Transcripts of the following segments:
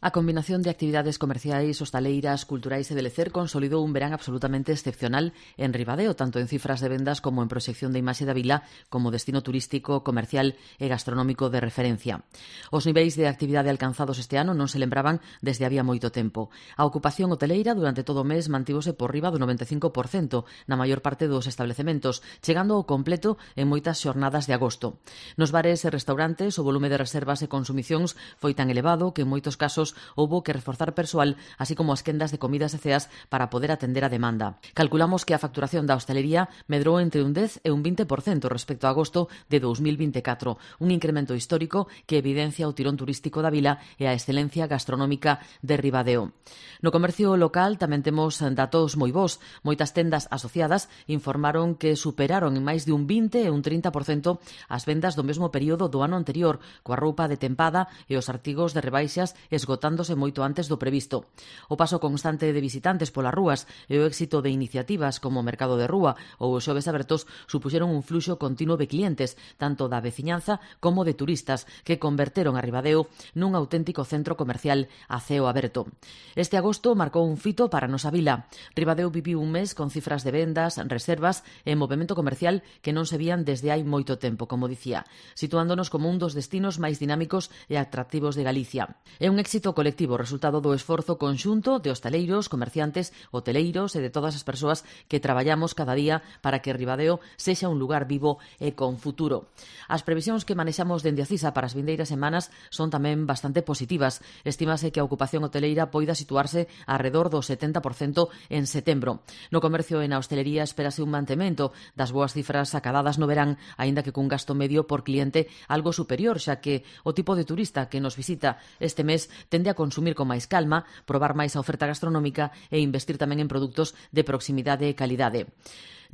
A combinación de actividades comerciais, hostaleiras, culturais e de lecer consolidou un verán absolutamente excepcional en Ribadeo, tanto en cifras de vendas como en proxección de imaxe da vila como destino turístico, comercial e gastronómico de referencia. Os niveis de actividade alcanzados este ano non se lembraban desde había moito tempo. A ocupación hoteleira durante todo o mes mantívose por riba do 95% na maior parte dos establecementos, chegando ao completo en moitas xornadas de agosto. Nos bares e restaurantes, o volume de reservas e consumicións foi tan elevado que en moitos casos houbo que reforzar persoal, así como as quendas de comidas e ceas para poder atender a demanda. Calculamos que a facturación da hostalería medrou entre un 10 e un 20% respecto a agosto de 2024, un incremento histórico que evidencia o tirón turístico da vila e a excelencia gastronómica de Ribadeo. No comercio local tamén temos datos moi bons. Moitas tendas asociadas informaron que superaron en máis de un 20 e un 30% as vendas do mesmo período do ano anterior, coa roupa de tempada e os artigos de rebaixas esgotándose moito antes do previsto. O paso constante de visitantes polas rúas e o éxito de iniciativas como o Mercado de Rúa ou os Xoves Abertos supuxeron un fluxo continuo de clientes, tanto da veciñanza como de turistas, que converteron a Ribadeo nun auténtico centro comercial a ceo aberto. Este agosto marcou un fito para a nosa vila. Ribadeo viviu un mes con cifras de vendas, reservas e movimento comercial que non se vían desde hai moito tempo, como dicía, situándonos como un dos destinos máis dinámicos e atractivos de Galicia. É un éxito colectivo, resultado do esforzo conxunto de hostaleiros, comerciantes, hoteleiros e de todas as persoas que traballamos cada día para que Ribadeo sexa un lugar vivo e con futuro. As previsións que manexamos dende a CISA para as vindeiras semanas son tamén bastante positivas. Estímase que a ocupación hoteleira poida situarse arredor do 70% en setembro. No comercio e na hostelería espérase un mantemento das boas cifras acadadas no verán, aínda que cun gasto medio por cliente algo superior, xa que o tipo de turista que nos visita este mes tende a consumir con máis calma, probar máis a oferta gastronómica e investir tamén en produtos de proximidade e calidade.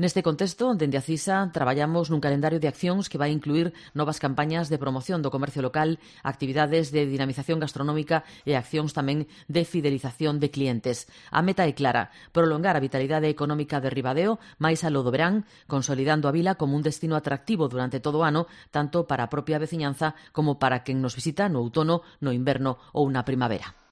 Neste contexto, dende a CISA, traballamos nun calendario de accións que vai incluir novas campañas de promoción do comercio local, actividades de dinamización gastronómica e accións tamén de fidelización de clientes. A meta é clara, prolongar a vitalidade económica de Ribadeo máis aló do verán, consolidando a vila como un destino atractivo durante todo o ano, tanto para a propia veciñanza como para quen nos visita no outono, no inverno ou na primavera.